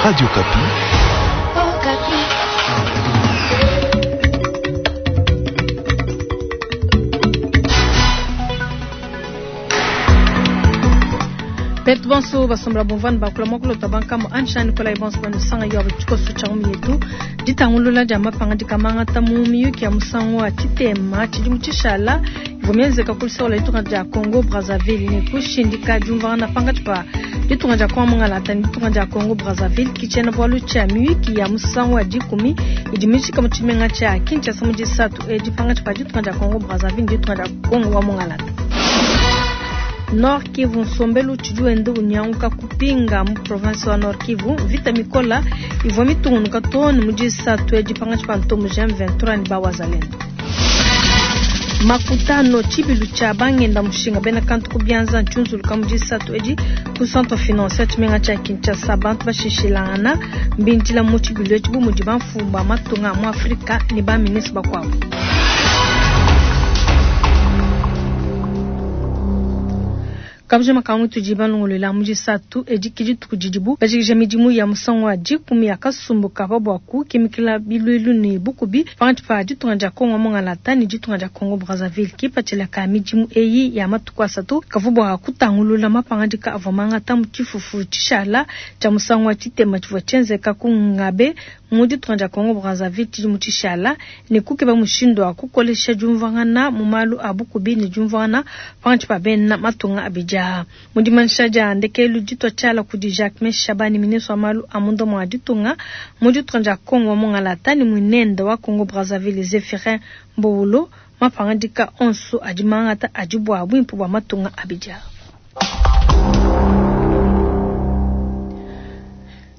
Radio Okapi. Betu bonso basombela bumvua ne bakula muakulu bankamu ansha Nikolai bonso banusanga yo tshikoso tshia mu yetu ditangulula dia mapangadika mangata mu miyuki ya musangu wa tshitema tshidimu tshishala ivua mienzeka ku luseke lua ditunga dia Congo Brazzaville ne kushindika diumvuangana pankatshi pa ditunga dia Congo mungalata ne ditunga dia Congo Brazzaville ke tshiena-bualu tshia miyuki ya musangu wa dikumi idi mijika mu tshimenga tshia Kinshasa mu disatu edi pankatshi pa ditunga dia Congo Brazzaville ne ditunga dia Congo wa mungalata. Nord Kivu, nsombelu utshidi wenda unyanguka kupinga mu province wa Nord Kivu. Mvita mikola ivua mitungunuka too ne mu disatu edi pankatshi pa ntomboji M23 ne ba Wazalendo. Makutano, tshibilu tshia bangenda mushinga bena kantu ku bianza ntshiunzuluka mu disatu edi ku centre financier tshimenga tshia Kinshasa. Bantu bashishilangana mbindila mu tshibilu etshi bu mudi bamfumu ba matunga a mu Afrika ne ba ministre bakuabu. Kabujima ka mutudi balongolola mu disatu edi ke dituku didibu bajikija midimu ya musangu wa dikumi ya kasumbu ka pa buaku kimikila biluilu ne bukubi pankatshi pa ditunga dia Congo mungalata ne ditunga dia Congo Brazzaville. Kipatshila ka midimu eyi ya matuku asatu kavua bua kutangulula mapangadika avua mangata mu tshifufu tshishala tshia musangu wa tshitema tshivua tshienzeka ku Ngabe mu ditunga dia Congo Brazzaville tshidimu tshishala ne kukeba mushindu wa kukolesha diumvuangana mu malu a bukubi ne diumvuangana pankatshi pa bena matunga abidi aa. Mu dimanyisha dia ndekelu ditua tshiala kudi Jacquemain Shabani, ministre wa malu a munda mua ditunga mu ditunga dia Congo wa mungalata ne muinende wa Congo Brazzaville Zephyrin Mbowolo, mapangadika onso adi mangata adi bua buimpe bua matunga abidi aa.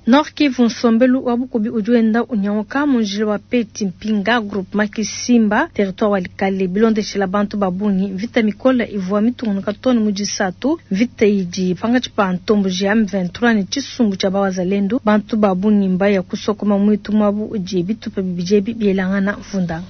Nord Kivu, nsombelu wa bukubi udi wenda unyanguka mu njila wa Peti Mpinga groupement Kisimba territoire wa Likale bilondeshela bantu ba bungi. Mvita mikole ivua mitungunuka too ne mu disatu. Mvita idi pankatshi pa ntomboji ya M23 ne tshisumbu tshia bawazalendu. Bantu ba bungi mbaya kusokoma muitu muabu udi bitupa bibidi ebi bielangana mvundanga.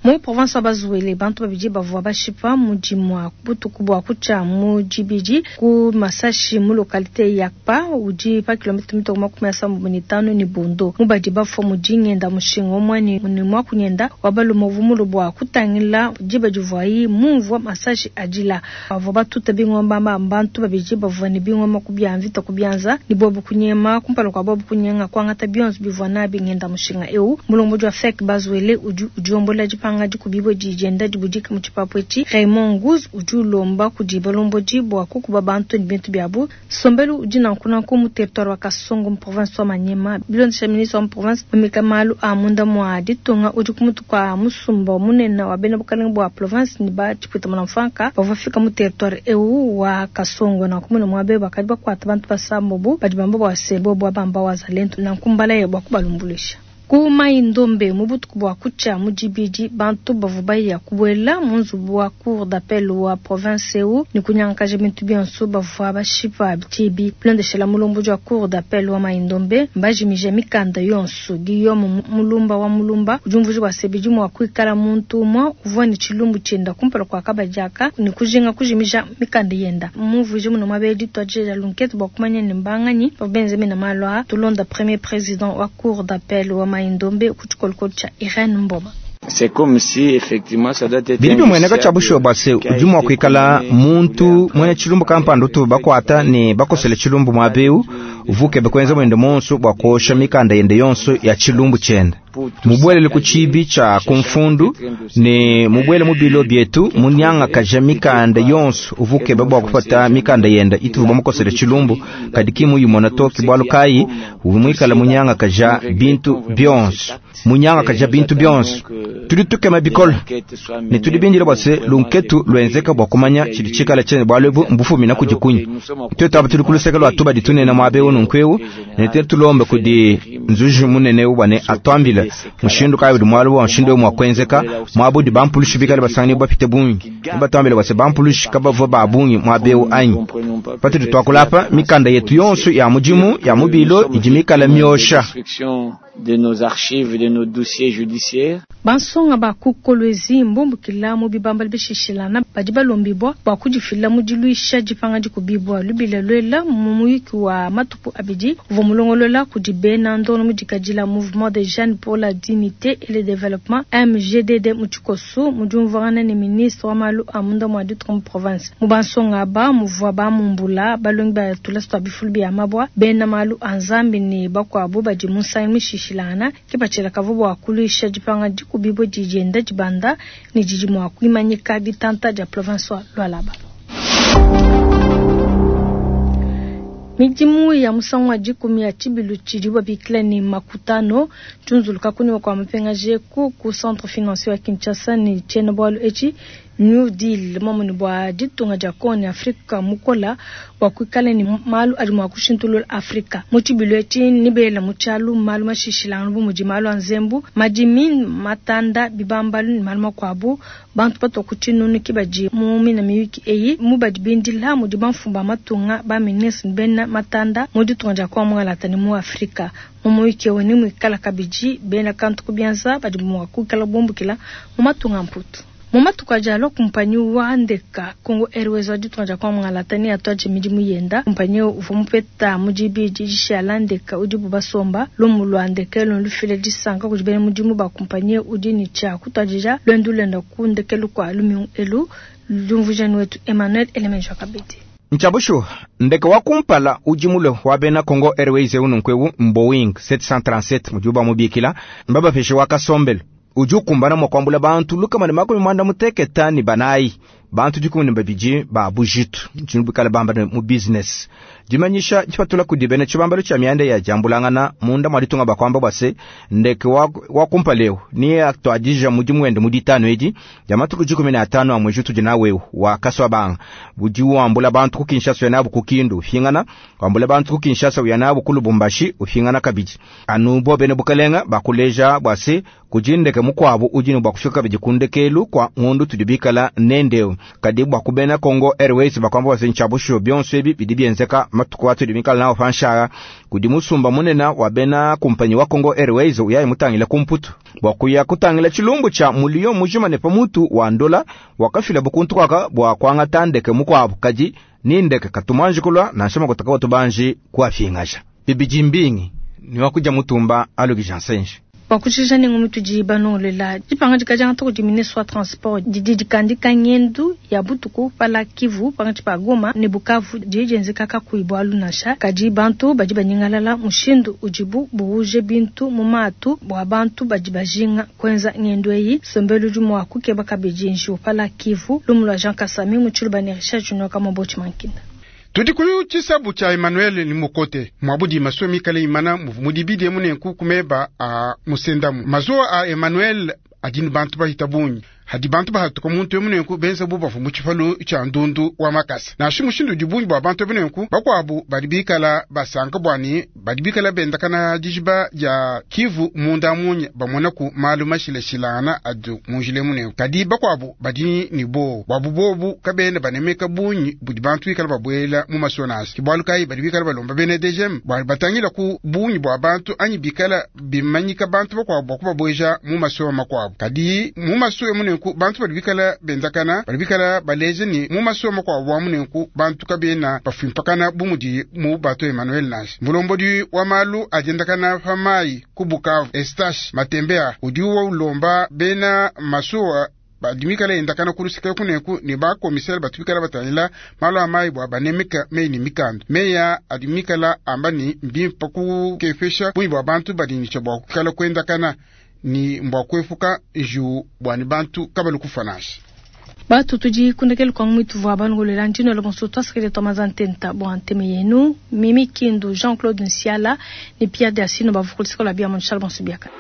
Mu province wa Bas-Uele, bantu babidi bavua bashipa mu dimua butuku bua kutshia mu dibidi ku masashi mu localité ya Kpa udi pa kilomètre mitoko 35 ne Bondo. Mu badi bafua mudi ngenda mushinga umue ne muakunyenda wa balume uvua mulue bua kutangila diba divuayi mumvua masashi adila. Bavua batuta bingoma ba bantu babidi bavua ne bingoma ku bia mvita ku bianza ne bobu kunyema kumpala kua bobu kunyenga kuangata bionso bivua nabi ngenda mushinga eu. Mulombodi wa FEC Bas-Uele udi udiombola dipanga dikubibue didi dienda dibudika mu tshipapu etshi. Raymond Nguz udi ulomba kudi balombodi bua kukuba bantu ne bintu biabu. Nsombelu udi nanku nanku mu territoire wa Kasongo mu province wa Maniema. Bilondesha ministre wa mu province mumika malu a munda mua ditunga udi ku mutu kua musumba munene wa bena bukalenge bua province ne ba tshipuita mulamfuanka bavua bafika mu territoire eu wa Kasongo. Nanku mune muaba eu bakadi bakuata bantu basambobu badi bamba bua se bobu bamba wazalendo nanku mbalaye bua kubalumbuluisha. Ku Mai-Ndombe mu butuku bua kutshia mu dibidi bantu bavua baya kubuela mu nzubu wa cour d'appel wa province eu ne kunyangakaja bintu bionso bavua bashipa tshibi. Bilondeshela mulombodi wa cour d'appel wa Mai-Ndombe mbajimije mikanda yonso. Guillaume Mulumba wa Mulumba udi umvuija bua se bidi mua kuikala muntu umue uvua ne tshilumbu tshienda kumpala kua kabadi aka ne kujinga kujimija mikanda yenda. Mumvuije muno muaba dituadija dia lunkete bua kumanya ne mbanganyi bavua benze mena malu aa. Tulonda premier président wa cour d'appel wa Mai-Ndombe ku tshikolokolo tshia Irene Mboma. Bidi bimueneka tshia bushuwa bua se udi mua kuikala muntu muena tshilumbu kampanda utu bakuata ne bakosela tshilumbu muaba eu uvua ukeba kuenza muende monso bua kuosha mikanda yende yonso ya tshilumbu tshiende. Mubuelele ku tshibi tshia ku mfundu ne mubuele mu bilo bietu munyangakaja mikanda yonso uvua ukeba bua kupata mikanda yende ituvua bamukosele tshilumbu kadi ki muyimona to ke bualu kayi uvua muikale munyangakaja bintu bionso. Munyangakaja bintu bionso. Tudi tukema bikole ne tudi bindile bua se lunketu luenzeka bua kumanya tshidi tshikala tshiende bualu ebu mbufumina kudi kunyi. Tuetu aba tudi ku luseke lua tubadi tunene muaba eu nunku eu ne tuetu tulombe kudi nzuji munene eu bua ne atuambile mushindu kayi udi mualu wa mushindu eu mua kuenzeka muaba udi bampulushi bikale basanganyibua bapite bungi. Ne batuambile bua se bampulushi kabavua ba bungi muaba eu anyi. Patudi tuakula apa mikanda yetu yonso ya mudimu ya mu bilo idi mikale miosha. de nos archives, de nos dossiers judiciaires. Bansonga ba ku Kolwezi mbumbukila mu bibambalu bishishilangana badi balombibua bua kudifila mu diluisha dipanga dikubibua. Lubila luela mu muyuki wa matuku abidi uvua mulongolola kudi bena ndono mudikadila Mouvement des Jeunes pour la Dignité et le Développement, MJDD mu tshikoso, mu diumvuangana ne ministre wa malu a munda mua ditunga mu province. Mu bansonga aba muvua ba mumbula, balongi ba tulasa tua bifulu bia mabua, bena malu a Nzambi ne bakuabu badi mu nsangilu mishishilangana. Kipatshila kavua bua kuluisha dipanga dikubibua didi dienda dibanda ne didi mua kuimanyika ditanta dia province wa Lualaba. Midimu ya musangu wa dikumi ya tshibilu tshidibu babikila ne Makutano tshiunzuluka kunyima kua mapingaja eku ku centre financier wa Kinshasa ne tshiena-bualu etshi New Deal momune bua ditunga dia Congo ne Afrika mukola bua kuikala ne malu adi mua kushintulula Afrika. Mu tshibilu etshi nebela mu tshialu malu mashishilangane bu mudi malu a nzembu, madimi, matanda, bibambalu ne malu makuabu. Bantu batua ku tshinunu ke badi mu mina miyuki eyi. Mu badi bindila mudi bamfumu ba matunga, ba ministre ne bena matanda mu ditunga dia Congo mungalata ne mu Afrika. Mu muyuki eu nemuikala kabidi bena kantu ku bianza badi mua kuikala bumbukila mu matunga a Mputu. Mu matuku adi alua, kumpanyi wa ndeka Congo Airways wa ditunga dia Congo mungalata neatuadije midimu yenda. Kumpanyi eu uvua mupeta mu dibidi dishala ndeka udibu basomba. Lumu lua ndeka elu ndufile disanka kudi bena mudimu ba kumpanyi eu udi ne tshia kutuadija luendu luenda ku ndekelu kua lumingu elu. Diumvuija ne wetu Emmanuel Elemenjo Kabedi. Ntshia bushuwa, ndeke wa kumpala udi mulue wa bena Congo Airways eu nunku eu m'Boeing 737 mudibu bamubikila, mbabapeshe wa kasombelu udi ukumbana mua kuambula bantu 164, bantu 12 ba bujitu. Ntshinyi bikale bamba ne mu business? Dimanyisha dipatula kudi bena tshibambalu tshia mianda ya diambulangana munda mua ditunga bakuamba bua se, ndeke wa, wa kumpala eu neatuadija mudimu wende mu ditanu edi dia matuku 15 a mwezi utudi nawu eu wa Kasuabanga. Udi wambula bantu ku Kinshasa uya nabu ku Kindu upingana, wambula bantu ku Kinshasa uya nabu ku Lubumbashi upingana kabidi. Anu bo bena bukalenga bakuleja bua se, kudi ndeke mukuabu udi ne bua kufika kabidi ku ndekelu kua ngondo tudi bikala nende eu. Kadi bua ku bena Congo Airways bakuamba bua se, ntshia bushuwa bionso ebi bidi bienzeka matuku atudi bikala nawu pa nshala. Kudi musumba munene wa bena kumpanyi wa Congo Airways uyayi mutangile ku Mputu bua kuya kutangila tshilumbu tshia muliyo mujima ne pamutu wa ndola wakafilabu kuntu kuaka bua kuangata ndeke mukuabu, kadi ni ndeke katumanji kulua nansha makuta kawatubanji kuapingaja. Bibidi mbingi ni wakudia mutumba alukija nsenji. Bua kujikija ne ngumu tudi banongolela, dipangadika diangata kudi ministre wa transport didi dikandika ngendu ya butuku pa lac Kivu pankatshi pa Goma ne Bukavu didi dienzeka kakuyi bualu nansha. Kadi bantu badi banyingalala mushindu udibu buwuje bintu mu matu bua bantu badi bajinga kuenza ngendu eyi. Nsombelu udi mua kukeba kabidi njiwu pa lac Kivu. Lumu lua Jean Kasami mu Tshiluba ne Richard Junior Kamobotshi Mankinda. Tudi ku tshisabu tshia Emmanuel ni Mukote muabudi masuwa mikale imana muvu mudibidi emu nenku ku meba a musendamu. Mazuwa a Emmanuel adi ne bantu bahita bungi. Hadi bantu bahatuka muntu emu nenku benza bu bavua mu tshipalu tshia ndundu wa makasa. Nansha mushindu udi bungi bua bantu ebu nenku, bakuabu badi bikala basanka bua ne badi bikala bendakana dijiba dia Kivu munda munya bamonaku malu mashilashilangana adi mu njila emu nenku. Kadi bakuabu badi ne buowa buabu bobu kabena banemeka bungi budi bantu bikala babuela mu masuwa nansha. Ke bualu kayi badi bikala balomba bena DGM bua batangila ku bungi bua bantu anyi bikala bimanyika bantu bakuabu bua kubabueja mu masuwa makuabu. Kadi mu masuwa emu nenku bantu badi bikala benzakana badi bikala baleja ne mu masuwa makuabu amu nenku bantu kabena bafuimpakana bu mudi mu bato Emmanuel nansha. Mulombodi wa malu a diendakana pa mayi ku Bukavu Eustache Matembea udi ulomba bena masuwa badi mikala endakana ku luseke kuneku ne ba commissaire batu bikala batangila malu a mayi bua banemeka meyi ne mikanda. Meyi aa adi mikala amba ne mbimpe kukepesha bungi bua bantu badi ne tshia bua kuikala kuendakana ne mbua kuepuka njiwu bua ne bantu kabalu kufua nansha. Batu tudi kundekelu kwa mwitu vwa bangolela ndino lo bonso twasakile twamaza ntenta bua nteme yenu Mimi Kindu, Jean-Claude Nsiala ne Pierre Diasino bavukulisikola bia Montchal bonso biaka.